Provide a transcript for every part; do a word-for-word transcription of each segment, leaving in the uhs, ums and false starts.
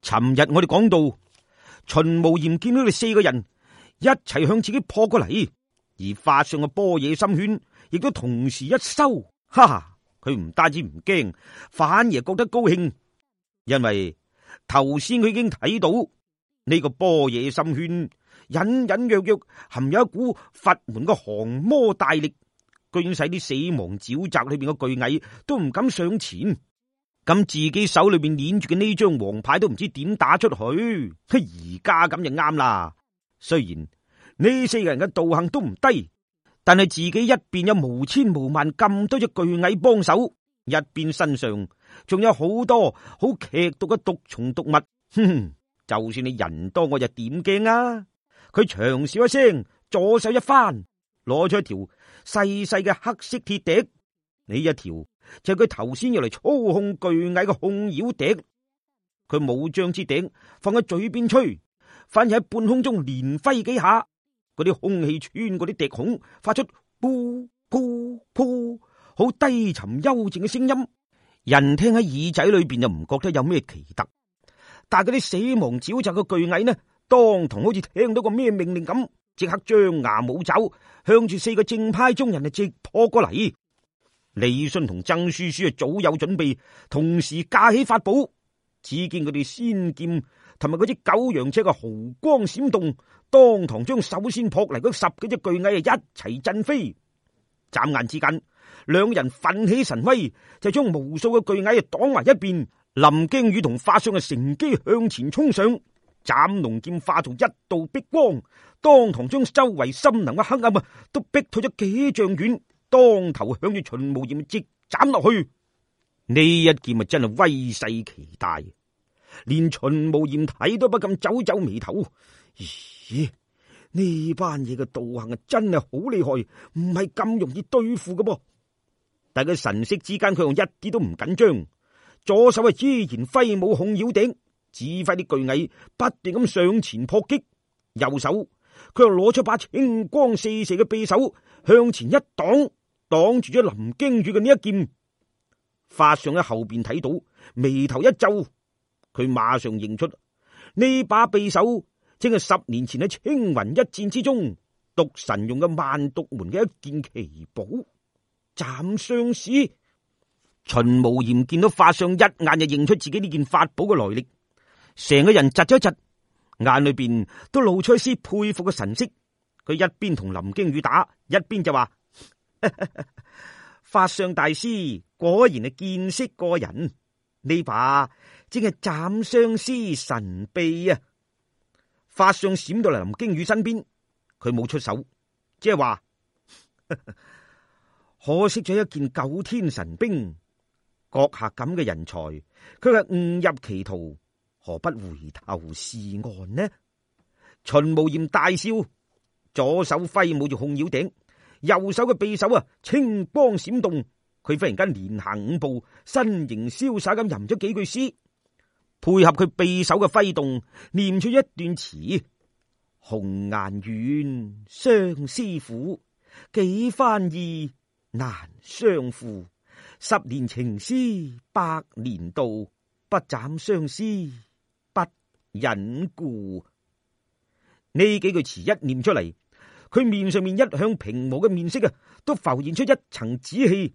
尋日我哋講到，秦無嫌見到你四個人一齊向自己撲過嚟，而法相嘅般若心圈亦都同時一收，哈哈！佢唔單止唔驚，反而覺得高興，因為頭先佢已經睇到呢個般若心圈隱隱約約含有一股佛門嘅降魔大力，居然使啲死亡沼澤裏邊嘅巨蟻都唔敢上前。咁自己手裏邊捻住嘅呢張王牌都唔知點打出去，而家咁就啱啦。雖然呢四個人嘅道行都唔低，但係自己一邊有無千無萬咁多隻巨蟻幫手，一邊身上仲有好多好劇毒嘅毒蟲毒物。哼哼，就算你人多我就點驚啊！佢長笑一聲，左手一翻，攞出一條細細嘅黑色鐵笛，呢一條就係佢頭先要嚟操控巨蟻嘅控妖笛。佢冇將支笛放喺嘴邊吹，反而喺半空中連揮幾下，嗰啲空氣穿過啲笛孔，發出噗噗噗好低沉幽靜嘅聲音。人聽喺耳仔裏邊就唔覺得有咩奇特，但係嗰啲死亡沼澤嘅巨蟻呢，當堂好似聽到個咩命令咁，即刻張牙舞爪，向住四個正派中人啊直撲過嚟。李信同曾書書啊早有準備，同時架起法寶，只見佢哋仙劍同埋嗰支九陽尺嘅毫光閃動，當堂將首先撲嚟嗰十幾隻巨蟻啊一齊震飛。眨眼之間，兩人奮起神威，就將無數嘅巨蟻啊擋埋一邊。林驚羽同法相啊乘機向前衝上，斬龍劍化做一道碧光，當堂將周圍森林嘅黑暗啊都逼退咗幾丈遠，當頭向住秦無嫌直斬落去。呢一劍啊真係威勢奇大，連秦無嫌睇都不禁皺皺眉頭。咦，呢班嘢嘅道行啊真係好厲害，唔係咁容易對付嘅噃。但係佢神色之間，佢又一啲都唔緊張，左手啊依然揮舞控妖笛，指揮啲巨蟻不斷咁上前撲擊，右手佢又攞出把青光四射嘅匕首向前一擋，擋住咗林驚羽嘅呢一劍。法相喺後邊睇到，眉頭一皺，佢馬上認出呢把匕首正係十年前喺青雲一戰之中毒神用嘅萬毒門嘅一件奇寶斬相師。秦無嫌見到法相一眼就認出自己呢件法寶嘅來歷，成個人窒咗一窒，眼裏邊都露出一絲佩服嘅神色。佢一邊同林驚羽打，一邊就話：法相大師果然係見識過人，呢把正係斬相師神臂啊！法相閃到嚟林驚羽身邊，佢冇出手，即係話可惜咗一件九天神兵。閣下咁嘅人才，佢係誤入歧途，何不回頭是岸呢？秦無嫌大笑，左手揮舞住控妖笛，右手嘅匕首啊青光閃動，佢忽然間連行五步，身形瀟灑咁吟咗幾句詩，配合佢匕首嘅揮動，念出一段詞：紅顏遠，相思苦，幾番意，難相負。十年情絲百年道，不斬相思不忍故。呢幾句詞一念出嚟，佢面上面一向平和嘅面色啊，都浮現出一層紫氣，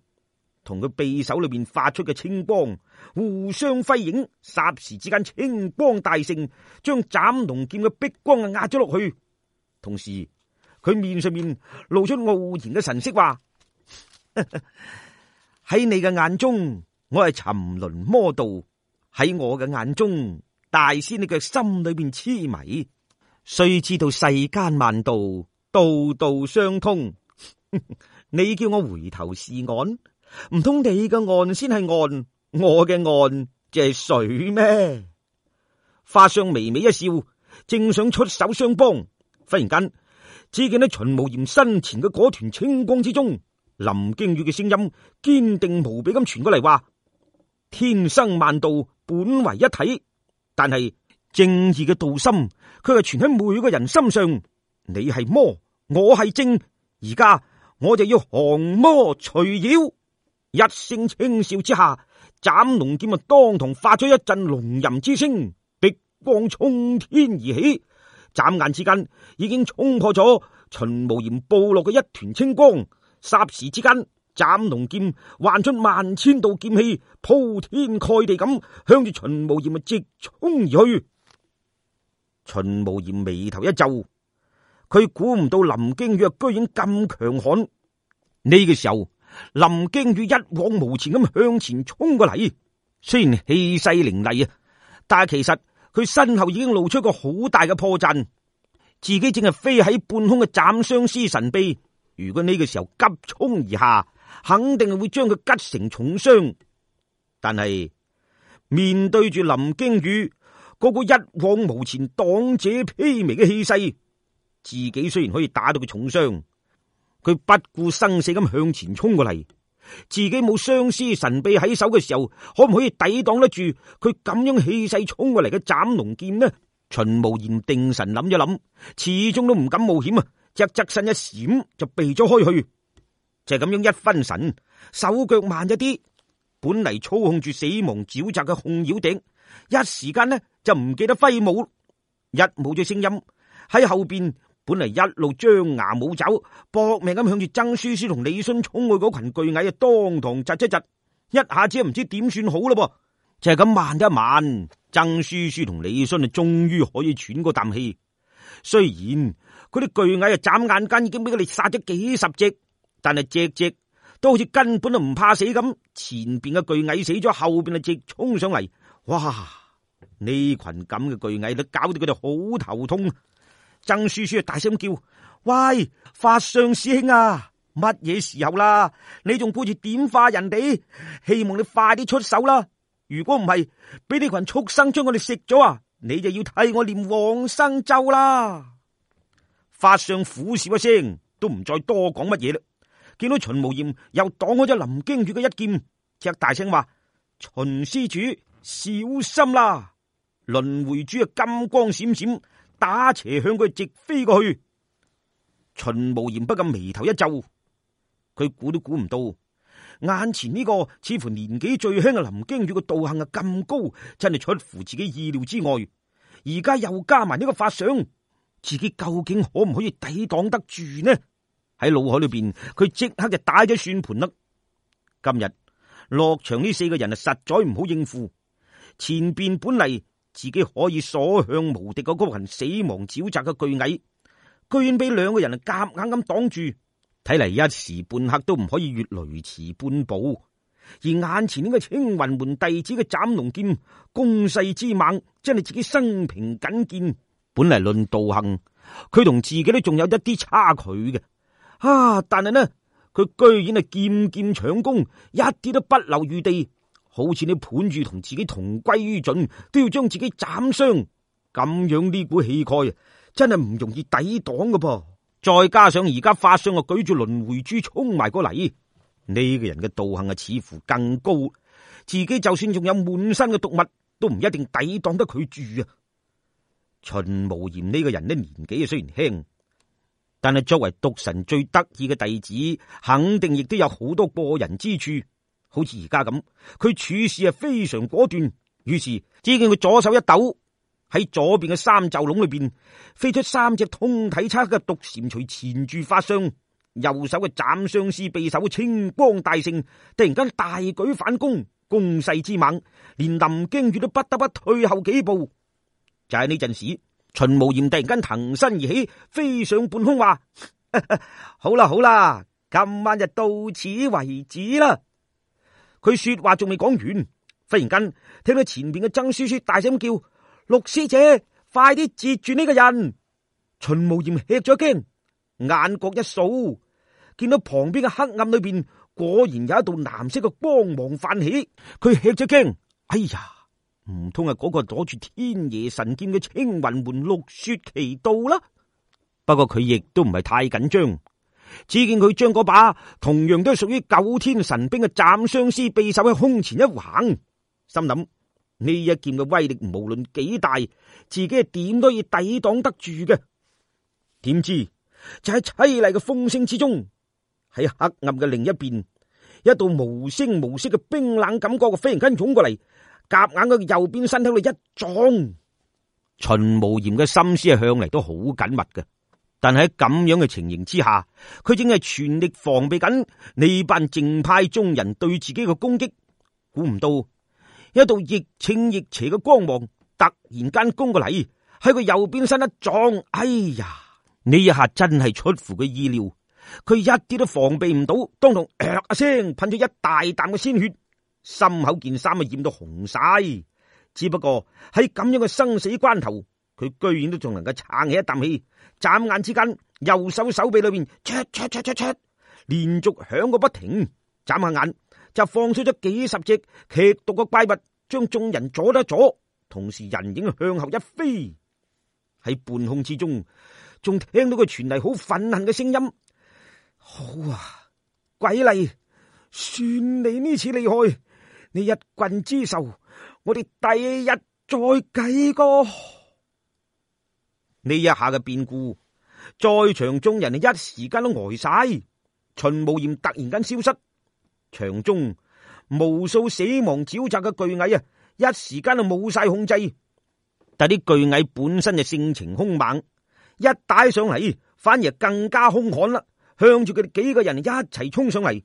同佢匕首裏邊發出嘅青光互相輝映，霎時之間青光大盛，將斬龍劍嘅碧光啊壓咗落去。同時，佢面上面露出傲然嘅神色，話：喺你嘅眼中，我係沉淪魔道；喺我嘅眼中，大師你嘅心裏邊痴迷。須知道世間萬道，道道相通。你叫我回頭是岸，唔通你嘅岸先係岸，我嘅岸就係水咩？法相微微一笑，正想出手相幫，忽然間只見喺秦無嫌身前嘅嗰團青光之中，林驚羽嘅聲音堅定無比咁傳過嚟，話：天生萬道本為一體，但係正義嘅道心，佢係存喺每個人心上。你係魔，我係正，而家我就要降魔除妖。一聲輕笑之下，斬龍劍啊當堂發出一陣龍吟之聲，逼光衝天而起，眨眼之間已經衝破咗秦無鹽部落嘅一團青光。霎時之間，斬龍劍幻出萬千道劍氣，鋪天蓋地咁向住秦無鹽直衝而去。秦無鹽眉頭一皺，佢估唔到林驚羽居然咁強悍。呢個時候，林驚羽一往無前咁向前衝過嚟，雖然氣勢凌厲啊，但係其實佢身後已經露出一個好大嘅破綻，自己正係飛喺半空嘅斬相思神臂，如果呢個時候急衝而下，肯定係會將佢擊成重傷。但係面對住林驚羽嗰個一往無前擋者披靡嘅氣勢，自己雖然可以打到佢重傷，佢不顧生死咁向前衝過嚟，自己冇相思神臂喺手嘅時候，可唔可以抵擋得住佢咁樣氣勢衝過嚟嘅斬龍劍呢？秦無鹽定神諗一諗，始終都唔敢冒險啊！只側身一閃就避咗開去，就係咁樣一分神，手腳慢咗啲，本嚟操控住死亡沼澤嘅控妖笛，一時間呢就唔記得揮舞，一冇咗聲音喺後邊。本嚟一路張牙舞爪搏命咁向住曾書書同李信衝去嗰群巨蟻啊，當堂窒一窒，一下子唔知點算好咯噃。就係咁慢一慢，曾書書同李信啊，終於可以喘過啖氣。雖然嗰啲巨蟻啊，眨眼間已經俾佢哋殺咗幾十隻，但係隻隻都好似根本都唔怕死咁。前邊嘅巨蟻死咗，後邊啊直衝上嚟，哇！呢群咁嘅巨蟻都搞到佢哋好頭痛。曾書書大聲叫：喂，法相師兄啊，乜嘢時候啦？你仲顧住點化人哋？希望你快啲出手啦！如果唔係，俾呢群畜生將我哋食咗啊，你就要替我念往生咒啦！法相苦笑一聲，都唔再多講乜嘢啦。見到秦無鹽又擋開咗林驚羽嘅一劍，只大聲話：秦施主小心啦！輪迴珠啊，金光閃閃，打斜向佢直飛過去。秦無鹽不禁眉頭一皺，佢估都估唔到，眼前呢個似乎年紀最輕嘅林驚羽嘅道行啊咁高，真係出乎自己意料之外。而家又加埋呢個法相，自己究竟可唔可以抵擋得住呢？喺腦海裏邊，佢即刻就打咗算盤啦。今日落場呢四個人啊，實在唔好應付。前邊本嚟自己可以所向無敵嘅嗰群死亡沼澤嘅巨蟻，居然俾兩個人啊夾硬咁擋住，睇嚟一時半刻都唔可以越雷池半步。而眼前呢個青雲門弟子嘅斬龍劍攻勢之猛，真係自己生平僅見。本嚟論道行，佢同自己都仲有一啲差距嘅啊！但係呢，佢居然係劍劍搶攻，一啲都不留餘地。好似你盤住同自己同歸於盡，都要將自己斬傷，咁樣呢股氣概真係唔容易抵擋㗎噃。再加上而家法相啊舉住輪迴珠衝埋過嚟，呢個人嘅道行啊似乎更高，自己就算仲有滿身嘅毒物，都唔一定抵擋得佢住啊。秦無鹽呢個人呢，年紀啊雖然輕，但係作為毒神最得意嘅弟子，肯定亦都有好多過人之處。好似而家咁，佢處事係非常果斷。於是只見佢左手一抖，喺左邊嘅三袖籠裏邊飛出三隻通體漆黑嘅毒蟾蜍纏住法相，右手嘅斬相思匕首青光大盛，突然間大舉反攻，攻勢之猛，連林驚羽都不得不退後幾步。就喺呢陣時，秦無鹽突然間騰身而起，飛上半空，話：好啦好啦，今晚就到此為止啦。佢說話仲未講完，忽然間聽到前邊嘅曾書書大聲叫：陸師姐，快啲截住呢個人！秦無鹽吃咗驚，眼角一掃，見到旁邊嘅黑暗裏邊果然有一道藍色嘅光芒泛起。佢吃咗驚，哎呀，唔通係嗰個攞住天爺神劍嘅青雲門陸雪奇道啦？不過佢亦都唔係太緊張。只見佢將嗰把同樣都係屬於九天神兵嘅斬相思匕首喺胸前一橫，心諗呢一劍嘅威力無論幾大，自己係點都要抵擋得住嘅。點知就喺淒厲嘅風聲之中，喺黑暗嘅另一邊，一道無聲無息嘅冰冷感覺忽然間湧過嚟，夾硬喺右邊身體度一撞，秦無嫌嘅心思係向嚟都好緊密嘅，但係喺咁樣嘅情形之下，佢正係全力防備緊呢班正派中人對自己嘅攻擊。估唔到一道亦清亦邪嘅光芒突然間攻過嚟，喺佢右邊身一撞，哎呀！呢一下真係出乎佢意料，佢一啲都防備唔到，當堂呃一聲噴咗一大啖嘅鮮血，心口件衫啊染到紅晒。只不過喺咁樣嘅生死關頭，佢居然都仲能夠撐起一啖氣，眨眼之間右手手臂裏邊唰唰唰唰唰連續響個不停，眨下眼就放出咗幾十隻劇毒嘅怪物，將眾人阻得阻，同時人影向後一飛。喺半空之中仲聽到佢傳嚟好憤恨嘅聲音：好啊，鬼嚟，算你呢次厲害，你一棍之仇，我哋第日再計過。呢一下嘅變故，在場眾人一時間都呆晒。秦無嫌突然間消失，場中無數死亡沼澤嘅巨蟻啊，一時間就冇晒控制。但啲巨蟻本身就性情兇猛，一打上嚟反而更加兇悍啦，向住佢哋幾個人一齊衝上嚟。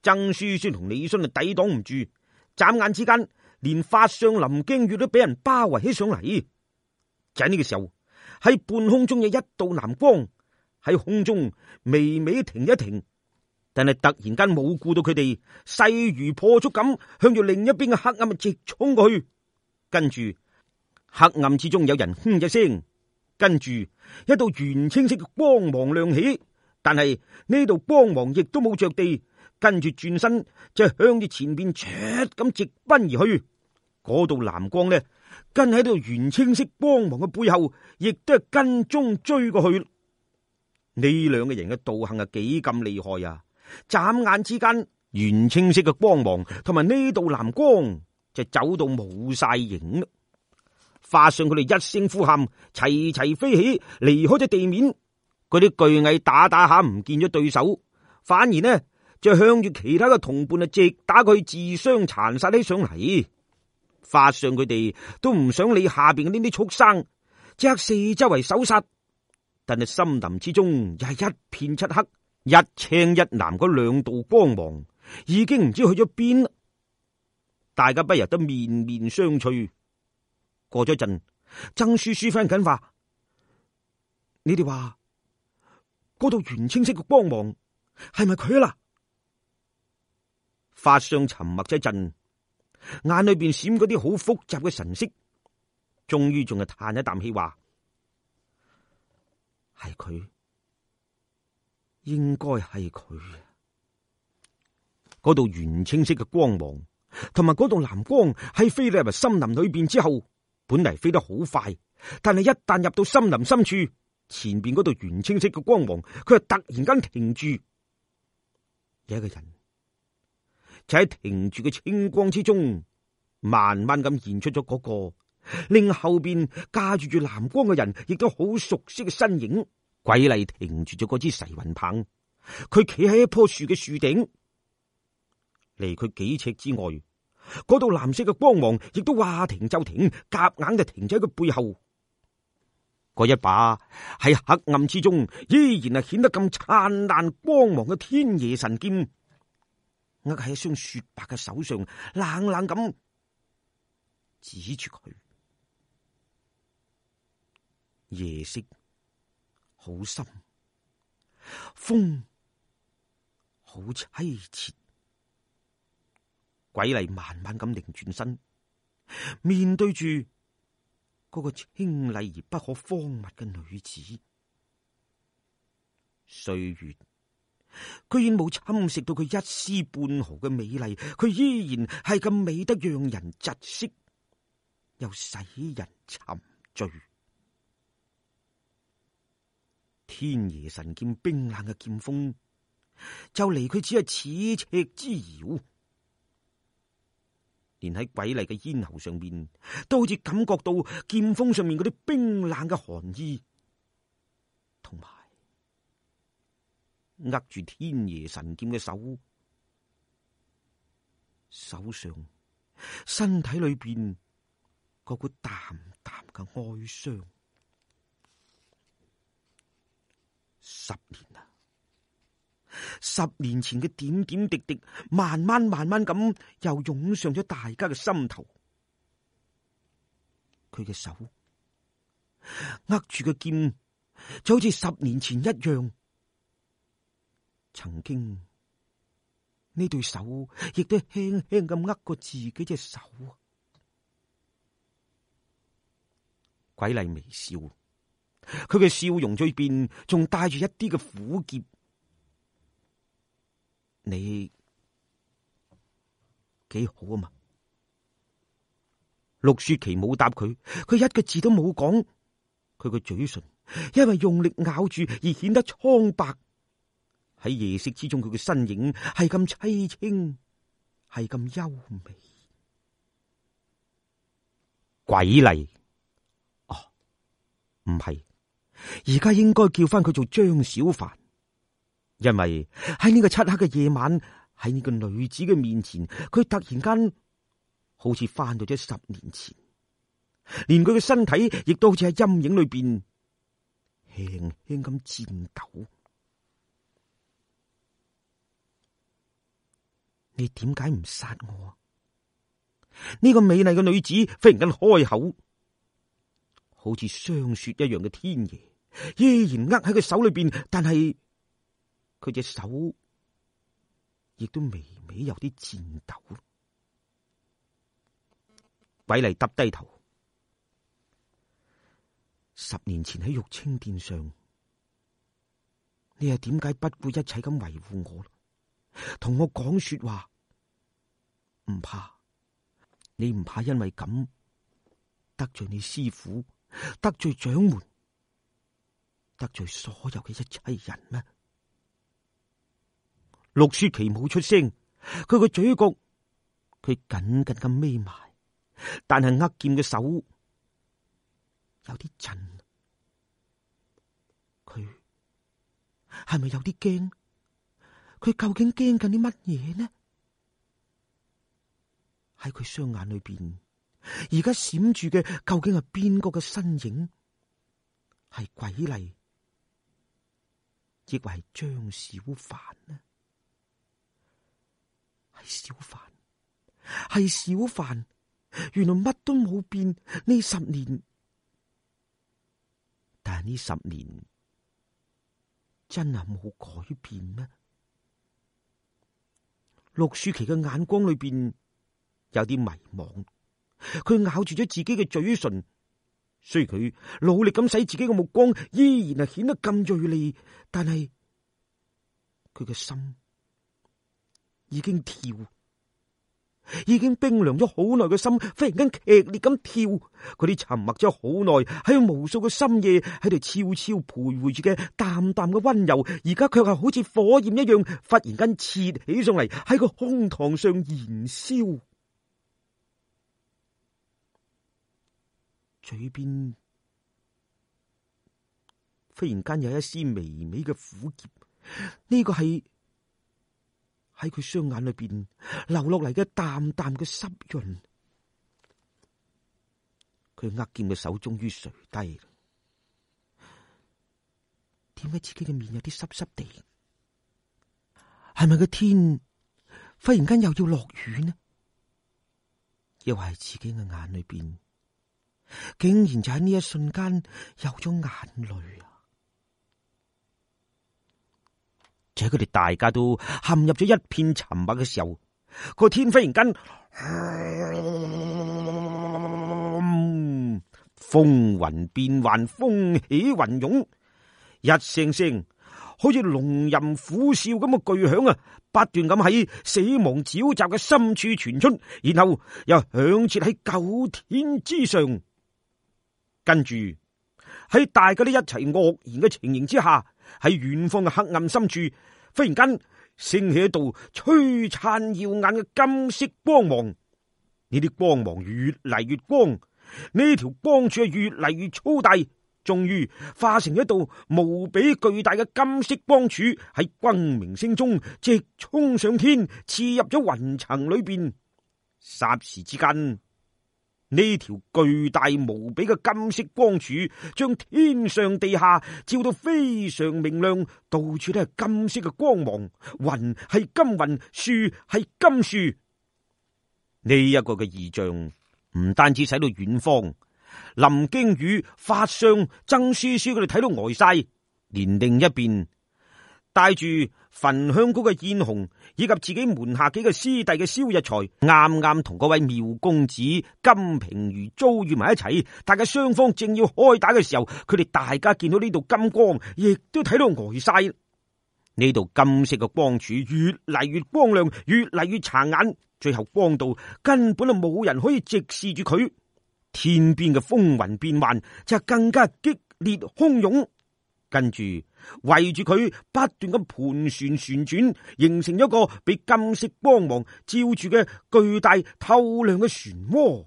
曾書書同李信就抵擋唔住，眨眼之間連法相林驚月都俾人包圍起上嚟。就喺呢個時候，喺半空中有一道藍光喺空中微微停一停，但係突然間冇顧到佢哋，勢如破竹咁向住另一邊嘅黑暗直衝過去。跟住黑暗之中有人哼一聲，跟住一道圓青色嘅光芒亮起，但係呢道光芒亦都冇着地，跟住轉身就向住前邊唰咁直奔而去。嗰道藍光呢，跟喺度圓青色光芒嘅背後，亦都係跟蹤追過去。呢兩個人嘅道行係幾咁厲害啊！眨眼之間，圓青色嘅光芒同埋呢道藍光就走到冇晒影啦。化上佢哋一聲呼喊，齊齊飛起，離開咗地面。嗰啲巨蟻打打下唔見咗對手，反而呢就向住其他嘅同伴啊，直打佢自相殘殺起上嚟。化上佢哋都唔想理下邊嘅呢啲畜生，即刻四周圍搜殺。但係森林之中又係一片漆黑，一青一藍嗰兩道光芒已經唔知去咗邊。大家不由得面面相覷。過咗陣，曾書書翻緊話：你哋話嗰道圓青色嘅光芒係咪佢啦？法相沉默咗一陣，眼裏邊閃嗰啲好複雜嘅神色，終於仲係嘆一啖氣話：係佢，應該係佢。嗰道圓青色嘅光芒同埋嗰道藍光喺飛入森林裏邊之後，本嚟飛得好快，但係一旦入到森林深處，前邊嗰道圓青色嘅光芒，佢係突然間停住。有一個人就喺停住嘅青光之中，慢慢咁現出咗嗰個令後邊駕住住藍光嘅人，亦都好熟悉嘅身影。鬼嚟停住咗嗰支噬魂棒，佢企喺一棵樹嘅樹頂，離佢幾尺之外。嗰道藍色嘅光芒亦都話停就停，夾硬就停喺佢背後。嗰一把喺黑暗之中依然係顯得咁燦爛光芒嘅天夜神劍，握喺一雙雪白嘅手上，冷冷咁指住佢。夜色好深，風好淒切。鬼嚟慢慢咁擰轉身，面對住嗰個清麗而不可方物嘅女子。歲月居然冇侵蝕到佢一絲半毫嘅美麗，佢依然係咁美得讓人窒息，又使人沉醉。天爺神劍冰冷嘅劍鋒，就離佢只係咫尺之遙。連喺鬼嚟嘅咽喉上面，都好似感覺到劍鋒上面嗰啲冰冷嘅寒意，同埋握住天爺神劍嘅手，手上、身體裏邊嗰股淡淡嘅哀傷。十年啦，十年前嘅點點滴滴，慢慢慢慢咁又湧上咗大家嘅心頭。佢嘅手握住嘅劍，就好似十年前一樣。曾經呢對手亦都輕輕咁握過自己隻手。鬼麗微笑，佢嘅笑容裏邊仲帶住一啲嘅苦澀。你幾好啊嘛？陸雪琪冇答佢，佢一個字都冇講。佢個嘴唇因為用力咬住而顯得蒼白。喺夜色之中，佢嘅身影係咁凄清，係咁優美。鬼麗，哦，唔係，而家應該叫翻佢做張小凡，因為喺呢個漆黑嘅夜晚，喺呢個女子嘅面前，佢突然間好似翻到咗十年前，連佢嘅身體亦都好似喺陰影裏邊輕輕咁顫抖。你點解唔殺我啊？呢個美麗嘅女子忽然間開口，好似霜雪一樣嘅天爺依然握喺佢手裏邊，但係佢隻手亦都微微有啲顫抖。鬼麗耷低頭，十年前喺玉清殿上，你係點解不顧一切咁維護我？同我講說話，唔怕，你唔怕因為咁得罪你師父，得罪掌門，得罪所有嘅一切人咩？陸雪琪冇出聲，佢個嘴角佢緊緊咁眯埋，但係握劍嘅手有啲震，佢係咪有啲驚？佢究竟驚緊啲乜嘢呢？喺佢雙眼裏邊，而家閃住嘅究竟係邊個嘅身影？係鬼麗，亦或係張小凡呢？係小凡，係小凡，原來乜都冇變呢十年，但係呢十年真係冇改變咩？陸舒淇嘅眼光裏邊有啲迷茫，佢咬住咗自己嘅嘴唇，雖然佢努力咁使自己嘅目光依然係顯得咁銳利，但係佢嘅心已經跳，已經冰涼咗好耐嘅心，忽然間劇烈咁跳。嗰啲沉默咗好耐，喺無數個深夜喺度悄悄徘徊住嘅淡淡嘅溫柔，而家卻係好似火焰一樣，忽然間切起上嚟，喺個胸膛上燃燒。嘴邊忽然間有一絲微微嘅苦澀，呢個係喺佢雙眼裏邊流落嚟嘅淡淡嘅濕潤。佢握劍嘅手終於垂低，點解自己嘅面有啲濕濕地？係咪個天忽然間又要落雨呢？又係自己嘅眼裏邊竟然就喺呢一瞬間有咗眼淚啊！就喺佢哋大家都陷入咗一片沉默嘅時候，個天忽然間，嗯，風雲變幻，風起雲湧，一聲聲好似龍吟虎嘯咁嘅巨響啊，不斷咁喺死亡沼澤嘅深處傳出，然後又響徹喺九天之上。跟住喺大家都一齊愕然嘅情形之下，喺遠方嘅黑暗深處，忽然間升起一道璀璨耀眼嘅金色光芒。呢啲光芒越嚟越光，呢條光柱係越嚟越粗大，終於化成一道無比巨大嘅金色光柱，喺轟鳴聲中直衝上天，刺入咗雲層裏邊。霎時之間，呢條巨大無比嘅金色光柱，將天上地下照到非常明亮，到處都係金色嘅光芒。雲係金雲，樹係金樹。呢一個嘅異象唔單止使到遠方林經宇、法相、曾書書佢哋睇到呆晒，連另一邊帶住焚香膏嘅燕紅以及自己門下幾個師弟嘅蕭日才，啱啱同嗰位妙公子金平如遭遇埋一齊。大家雙方正要開打嘅時候，佢哋大家見到呢度金光，亦都睇到呆晒。呢度金色嘅光柱越嚟越光亮，越嚟越殘眼，最後光到根本就冇人可以直視住佢。天邊嘅風雲變幻就更加激烈洶湧，跟住圍住佢不斷咁盤旋旋轉，形成一個被金色光芒照住嘅巨大透亮嘅漩渦。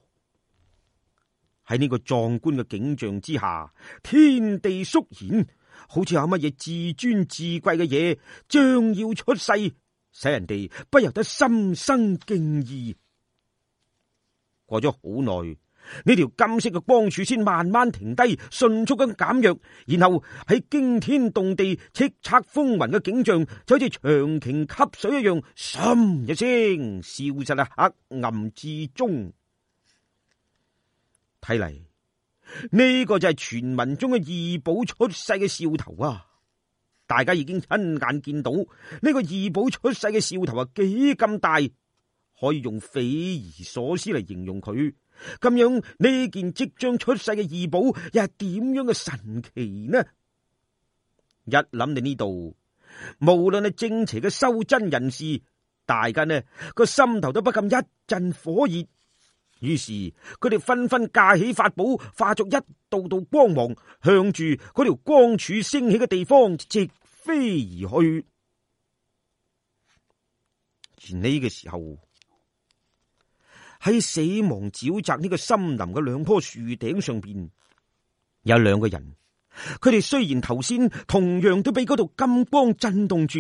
喺呢個壯觀嘅景象之下，天地肅然，好似有乜嘢至尊至貴嘅嘢將要出世，使人哋不由得心生敬意。過咗好耐，呢條金色嘅光柱先慢慢停低，迅速咁減弱，然後喺驚天動地、叱咤風雲嘅景象，就好似長鯨吸水一樣，咻一聲消失喺黑暗之中。睇嚟呢個就係傳聞中嘅異寶出世嘅兆頭啊！大家已經親眼見到呢個異寶出世嘅兆頭啊，幾咁大，可以用匪夷所思嚟形容佢。咁樣呢件即將出世嘅異寶又係點樣嘅神奇呢？一諗到呢度，無論係正邪嘅修真人士，大家呢個心頭都不禁一陣火熱。於是佢哋紛紛架起法寶，化作一道道光芒，向住嗰條光柱升起嘅地方直飛而去。而呢個時候，喺死亡沼澤呢個森林嘅兩棵樹頂上邊，有兩個人。佢哋雖然頭先同樣都俾嗰道金光震動住，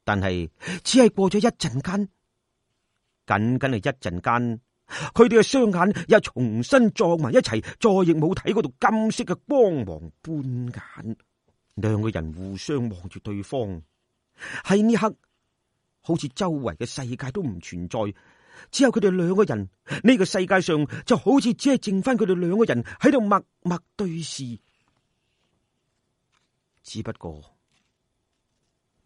但係只係過咗一陣間，僅僅係一陣間，佢哋嘅雙眼又重新撞埋一齊，再亦冇睇嗰道金色嘅光芒半眼。兩個人互相望住對方，喺呢刻好似周圍嘅世界都唔存在，只有佢哋兩個人。呢個世界上就好似只係剩翻佢哋兩個人喺度默默對視。只不過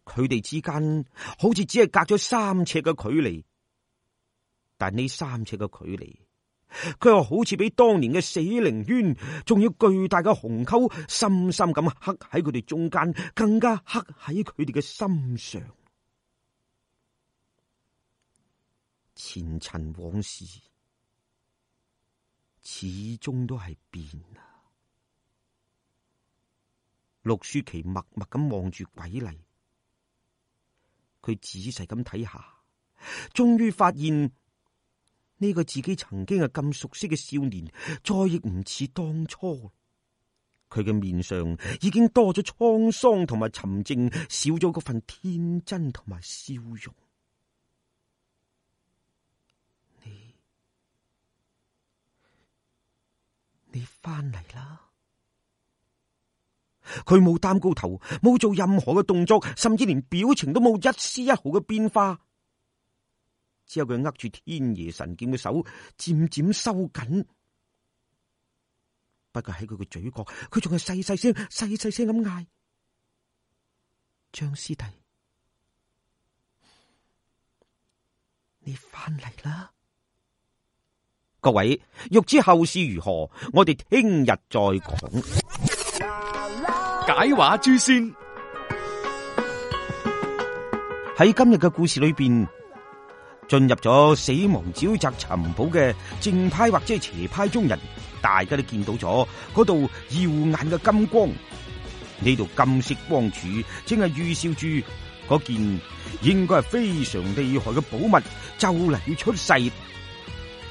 佢哋之間好似只係隔咗三尺嘅距離，但呢三尺嘅距離，佢又好似比當年嘅死靈淵仲要巨大嘅鴻溝，深深咁刻喺佢哋中間，更加刻喺佢哋嘅心上。前塵往事始終都係變啊！陸舒淇默默咁望住鬼嚟，佢仔細咁睇下，終於發現呢個自己曾經係咁熟悉嘅少年，再亦唔似當初。佢嘅面上已經多咗滄桑同埋沉靜，少咗嗰份天真同埋笑容。你你翻嚟啦！佢冇擔高頭，冇做任何嘅動作，甚至連表情都冇一絲一毫嘅變化。只有佢握住天爺神劍嘅手漸漸收緊。不過喺佢嘅嘴角，佢仲係細細聲、細細聲咁嗌：張師弟，你翻嚟啦！各位，欲知後事如何，我哋聽日再講。解話諸仙喺今日嘅故事裏邊，進入咗死亡沼澤尋寶嘅正派或者係邪派中人，大家都見到咗嗰度耀眼嘅金光。呢度金色光柱正係預兆住嗰件應該係非常厲害嘅寶物就嚟要出世，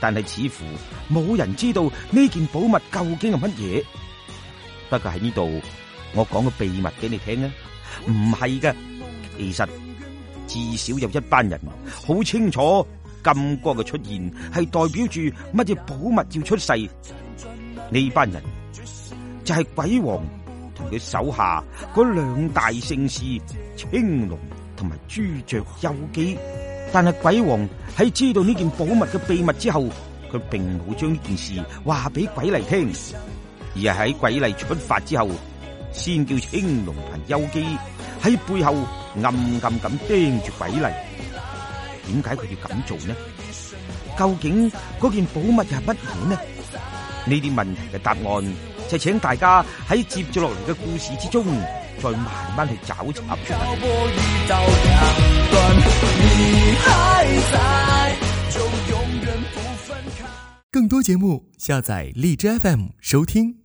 但係似乎冇人知道呢件寶物究竟係乜嘢。不過喺呢度，我講個秘密俾你聽啊，唔係嘅，其實至少有一班人好清楚金光嘅出現係代表住乜嘢寶物要出世？呢班人就係鬼王同佢手下嗰兩大聖士青龍同埋朱雀幽姬。但係鬼王喺知道呢件寶物嘅秘密之後，佢並冇將呢件事話俾鬼麗聽，而係喺鬼麗出發之後，先叫青龍同幽姬喺背後暗暗咁盯住鬼麗。點解佢要咁做呢？究竟嗰件寶物又係乜嘢呢？呢啲問題嘅答案就請大家喺接住落嚟嘅故事之中再慢慢去找尋出嚟。更多節目下載荔枝 F M 收聽。